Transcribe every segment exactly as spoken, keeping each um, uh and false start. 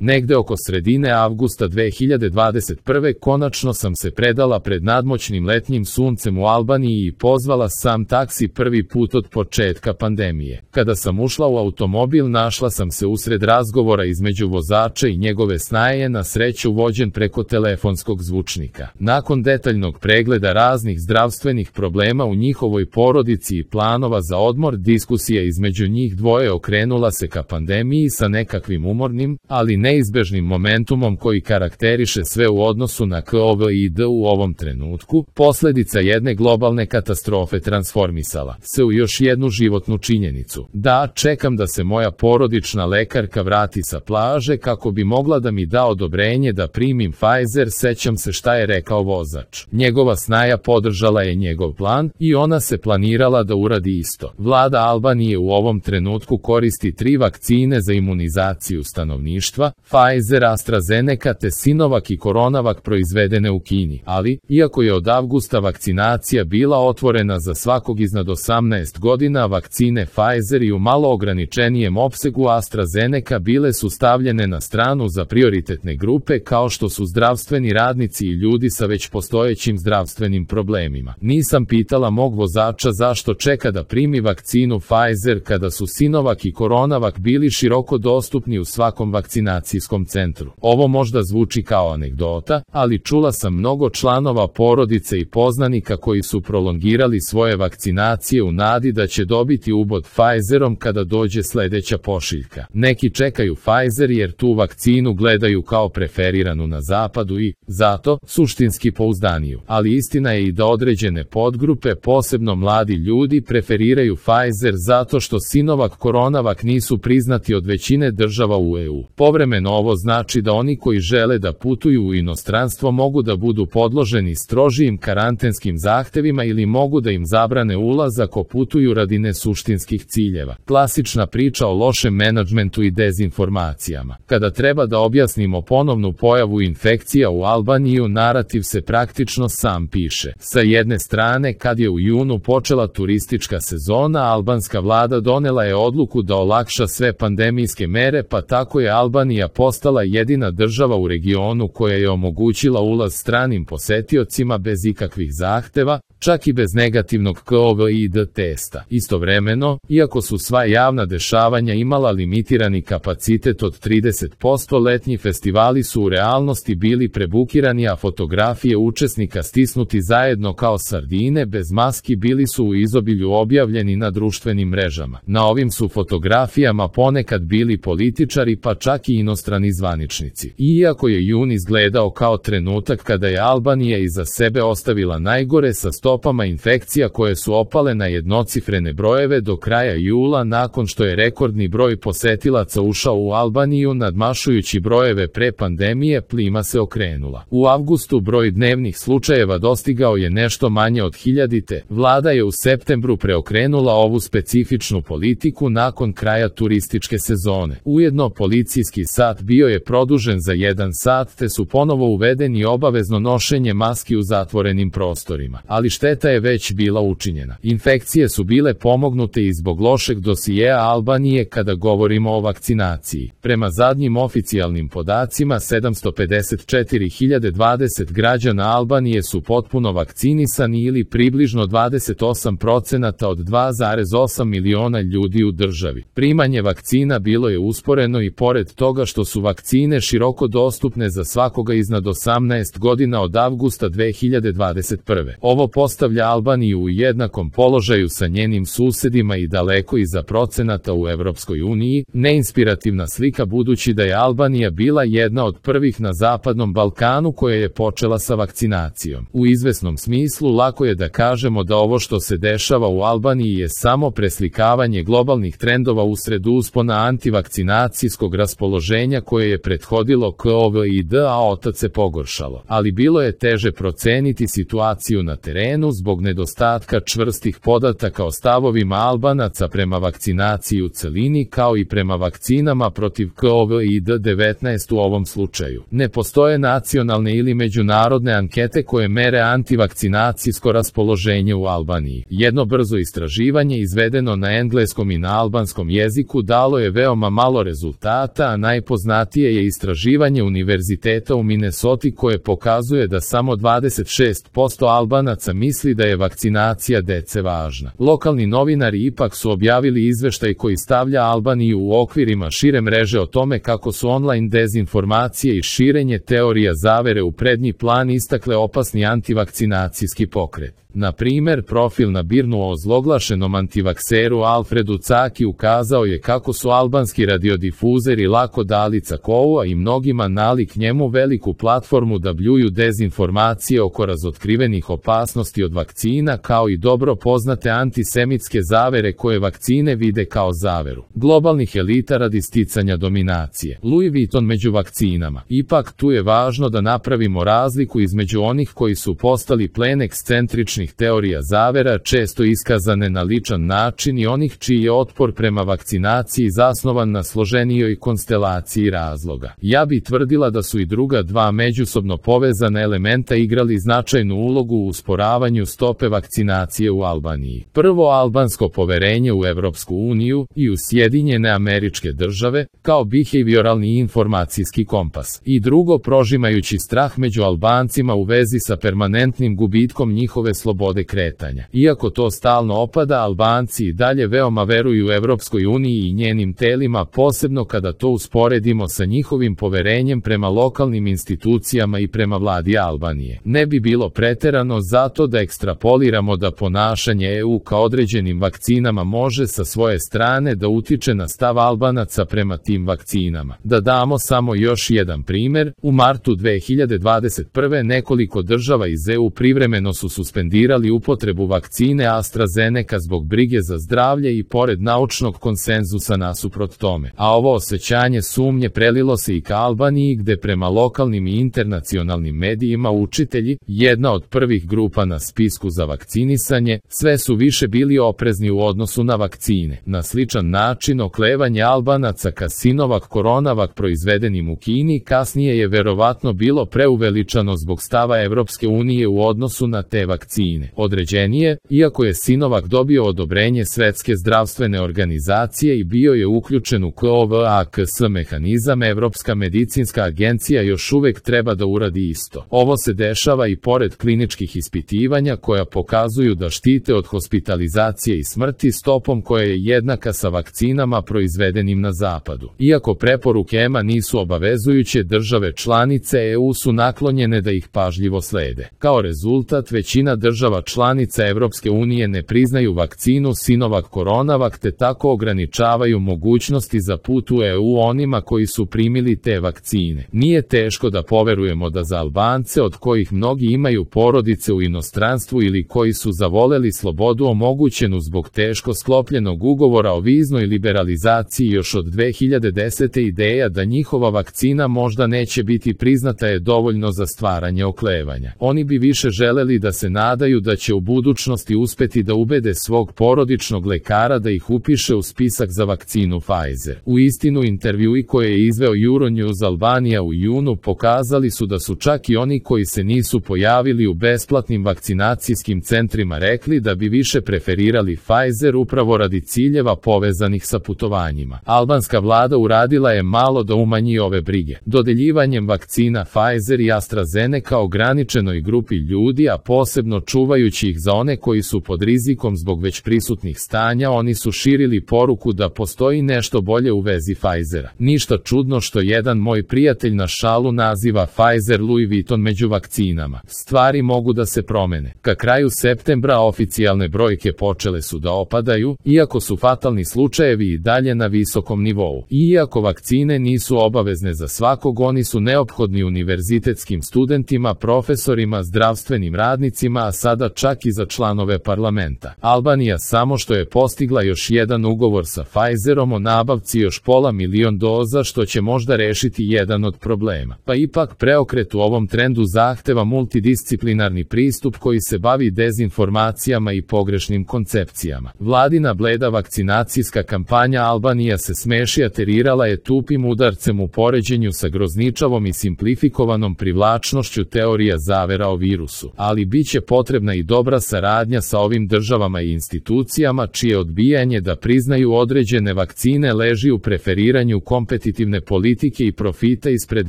Negde oko sredine avgusta dve hiljade dvadeset prve konačno sam se predala pred nadmoćnim letnjim suncem u Albaniji i pozvala sam taksi prvi put od početka pandemije. Kada sam ušla u automobil, našla sam se usred razgovora između vozača i njegove snaje, na sreću vođen preko telefonskog zvučnika. Nakon detaljnog pregleda raznih zdravstvenih problema u njihovoj porodici i planova za odmor, diskusija između njih dvoje okrenula se ka pandemiji sa nekakvim umornim, ali neizbežnim momentumom koji karakteriše sve u odnosu na COVID u ovom trenutku. Posledica jedne globalne katastrofe transformisala se u još jednu životnu činjenicu. Da, čekam da se moja porodična lekarka vrati sa plaže kako bi mogla da mi da odobrenje da primim Pfizer. Sećam se šta je rekao vozač. Njegova snaja podržala je njegov plan i ona se planirala da uradi isto. Vlada Albanije u ovom trenutku koristi tri vakcine za imunizaciju stanovništva, Pfizer, AstraZeneca te Sinovac i Coronavac proizvedene u Kini, ali, iako je od avgusta vakcinacija bila otvorena za svakog iznad osamnaest godina, vakcine Pfizer i u malo ograničenijem opsegu AstraZeneca bile su stavljene na stranu za prioritetne grupe kao što su zdravstveni radnici i ljudi sa već postojećim zdravstvenim problemima. Nisam pitala mog vozača zašto čeka da primi vakcinu Pfizer kada su Sinovac i Coronavac bili široko dostupni u svakom vakcinacijskom centru. Ovo možda zvuči kao anegdota, ali čula sam mnogo članova porodice i poznanika koji su prolongirali svoje vakcinacije u nadi da će dobiti ubod Pfizerom kada dođe sledeća pošiljka. Neki čekaju Pfizer jer tu vakcinu gledaju kao preferiranu na zapadu i, zato, suštinski pouzdaniju. Ali istina je i da određene podgrupe, posebno mladi ljudi, preferiraju Pfizer zato što Sinovac, Coronavac nisu priznati od većine država u E U. Povremeno ovo znači da oni koji žele da putuju u inostranstvo mogu da budu podloženi strožijim karantenskim zahtevima ili mogu da im zabrane ulaz ako putuju radi nesuštinskih ciljeva. Klasična priča o lošem menadžmentu i dezinformacijama. Kada treba da objasnimo ponovnu pojavu infekcija u Albaniju, narativ se praktično sam piše. Sa jedne strane, kad je u junu počela turistička sezona, albanska vlada donela je odluku da olakša sve pandemijske mere, pa tako je Albanija postala jedina država u regionu koja je omogućila ulaz stranim posetiocima bez ikakvih zahteva, čak i bez negativnog COVID testa. Istovremeno, iako su sva javna dešavanja imala limitirani kapacitet od trideset posto, letnji festivali su u realnosti bili prebukirani, a fotografije učesnika stisnuti zajedno kao sardine bez maski bili su u izobilju objavljeni na društvenim mrežama. Na ovim su fotografijama ponekad bili političari, pa čak i inostrani zvaničnici. Iako je jun izgledao kao trenutak kada je Albanija iza sebe ostavila najgore sa stopama infekcija koje su opale na jednocifrene brojeve do kraja jula, nakon što je rekordni broj posetilaca ušao u Albaniju nadmašujući brojeve pre pandemije, plima se okrenula. U avgustu broj dnevnih slučajeva dostigao je nešto manje od hiljadite. Vlada je u septembru preokrenula ovu specifičnu politiku nakon kraja turističke sezone. Ujedno policijski sat bio je produžen za jedan sat te su ponovo uvedeni obavezno nošenje maski u zatvorenim prostorima. Ali šteta je već bila učinjena. Infekcije su bile pomognute i zbog lošeg dosijeja Albanije kada govorimo o vakcinaciji. Prema zadnjim oficijalnim podacima, sedamsto pedeset četiri hiljade dvadeset građana Albanije su potpuno vakcinisani ili približno dvadeset osam procenata od dva zarez osam miliona ljudi u državi. Primanje vakcina bilo je usporeno i pored toga što su vakcine široko dostupne za svakoga iznad osamnaest godina od avgusta dve hiljade dvadeset prve. Ovo postavlja Albaniju u jednakom položaju sa njenim susedima i daleko iza procenata u Evropskoj uniji, neinspirativna slika budući da je Albanija bila jedna od prvih na Zapadnom Balkanu koja je počela sa vakcinacijom. U izvesnom smislu lako je da kažemo da ovo što se dešava u Albaniji je samo preslikavanje globalnih trendova usred uspona antivakcinacijskog raspoloženja koje je prethodilo COVID, a otac se pogoršalo. Ali bilo je teže proceniti situaciju na terenu zbog nedostatka čvrstih podataka o stavovima Albanaca prema vakcinaciji u celini kao i prema vakcinama protiv COVID devetnaest u ovom slučaju. Ne postoje nacionalne ili međunarodne ankete koje mere antivakcinacijsko raspoloženje u Albaniji. Jedno brzo istraživanje izvedeno na engleskom i na albanskom jeziku dalo je veoma malo rezultata, a najpre Najpoznatije je istraživanje Univerziteta u Minnesoti koje pokazuje da samo dvadeset šest posto Albanaca misli da je vakcinacija dece važna. Lokalni novinari ipak su objavili izveštaj koji stavlja Albaniju u okvirima šire mreže o tome kako su online dezinformacije i širenje teorija zavere u prednji plan istakle opasni antivakcinacijski pokret. Na primer, profil na Birnu o ozloglašenom antivakseru Alfredu Caki ukazao je kako su albanski radiodifuzeri lako dali Cakovu, a i mnogima nalik njemu veliku platformu da bljuju dezinformacije oko razotkrivenih opasnosti od vakcina, kao i dobro poznate antisemitske zavere koje vakcine vide kao zaveru globalnih elita radi sticanja dominacije. Louis Vuitton među vakcinama. Ipak tu je važno da napravimo razliku između onih koji su postali plen ekscentričnih teorija zavera, često iskazane na ličan način, i onih čiji je otpor prema vakcinaciji zasnovan na složenijoj konstelaciji razloga. Ja bi tvrdila da su i druga dva međusobno povezana elementa igrali značajnu ulogu u usporavanju stope vakcinacije u Albaniji. Prvo, albansko poverenje u Evropsku uniju i u Sjedinjene Američke Države, kao behavioralni informacijski kompas. I drugo, prožimajući strah među Albancima u vezi sa permanentnim gubitkom njihove slobode kretanja. Iako to stalno opada, Albanci i dalje veoma veruju Evropskoj uniji i njenim telima, posebno kada to usporedimo sa njihovim poverenjem prema lokalnim institucijama i prema vladi Albanije. Ne bi bilo preterano zato da ekstrapoliramo da ponašanje E U ka određenim vakcinama može sa svoje strane da utiče na stav Albanaca prema tim vakcinama. Da damo samo još jedan primer, u martu dve hiljade dvadeset prve nekoliko država iz E U privremeno su suspendirali upotrebu vakcine AstraZeneca zbog brige za zdravlje i pored naučnog konsenzusa nasuprot tome. A ovo osjećanje sumnje prelilo se i ka Albaniji, gde prema lokalnim i internacionalnim medijima učitelji, jedna od prvih grupa na spisku za vakcinisanje, sve su više bili oprezni u odnosu na vakcine. Na sličan način oklevanje Albanaca ka Sinovac Coronavac proizvedenim u Kini kasnije je verovatno bilo preuveličano zbog stava Evropske unije u odnosu na te vakcine. Određenije, iako je Sinovac dobio odobrenje Svetske zdravstvene organizacije i bio je uključen u COVAX mehanizam, Evropska medicinska agencija još uvek treba da uradi isto. Ovo se dešava i pored kliničkih ispitivanja koja pokazuju da štite od hospitalizacije i smrti stopom koja je jednaka sa vakcinama proizvedenim na zapadu. Iako preporuke E M A nisu obavezujuće, države članice E U su naklonjene da ih pažljivo slede. Kao rezultat, većina država članica Evropske unije ne priznaju vakcinu Sinovac Coronavac te tako ograničavaju mogućnosti za put u E U onima koji su primili te vakcine. Nije teško da poverujemo da za Albance, od kojih mnogi imaju porodice u inostranstvu ili koji su zavoleli slobodu omogućenu zbog teško sklopljenog ugovora o viznoj liberalizaciji još od dve hiljade desete, ideja da njihova vakcina možda neće biti priznata je dovoljno za stvaranje oklevanja. Oni bi više želeli da se nadaju da će u budućnosti uspeti da ubede svog porodičnog lekara da ih upiše u spisak za vakcinu Pfizer. U istinu, intervjui koje je izveo Euronews Albanija u junu pokazali su da su čak i oni koji se nisu pojavili u besplatnim vakcinacijskim centrima rekli da bi više preferirali Pfizer upravo radi ciljeva povezanih sa putovanjima. Albanska vlada uradila je malo da umanji ove brige. Dodeljivanjem vakcina Pfizer i AstraZeneca ograničenoj grupi ljudi, a posebno čuvajući ih za one koji su pod rizikom zbog već prisutnih stanja, oni su širili poruku da postoji nešto bolje u vezi Pfizera. Ništa čudno što jedan moj prijatelj na šalu naziva Pfizer Louis Vuitton među vakcinama. Stvari mogu da se promene. Ka kraju septembra oficijalne brojke počele su da opadaju, iako su fatalni slučajevi i dalje na visokom nivou. Iako vakcine nisu obavezne za svakog, oni su neophodni univerzitetskim studentima, profesorima, zdravstvenim radnicima, a sada čak i za članove parlamenta. Albanija samo što je postigla još jedan ugovor sa Pfizerom o nabavci još pola milion doza, što će možda rešiti jedan od problema. Pa ipak preokret u ovom trendu zahteva multidisciplinarni pristup koji se bavi dezinformacijama i pogrešnim koncepcijama. Vladina bleda vakcinacijska kampanja Albanija se smeši aterirala je tupim udarcem u poređenju sa grozničavom i simplifikovanom privlačnošću teorija zavera o virusu, ali bit će potrebno potrebna i dobra saradnja sa ovim državama i institucijama čije odbijanje da priznaju određene vakcine leži u preferiranju kompetitivne politike i profita ispred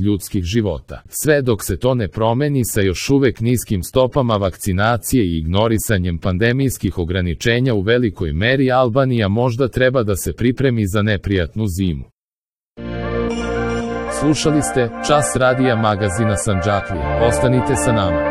ljudskih života. Sve dok se to ne promeni sa još uvek niskim stopama vakcinacije i ignorisanjem pandemijskih ograničenja u velikoj meri, Albanija možda treba da se pripremi za neprijatnu zimu. Slušali ste Čas radija magazina Sandžaklija. Ostanite sa nama.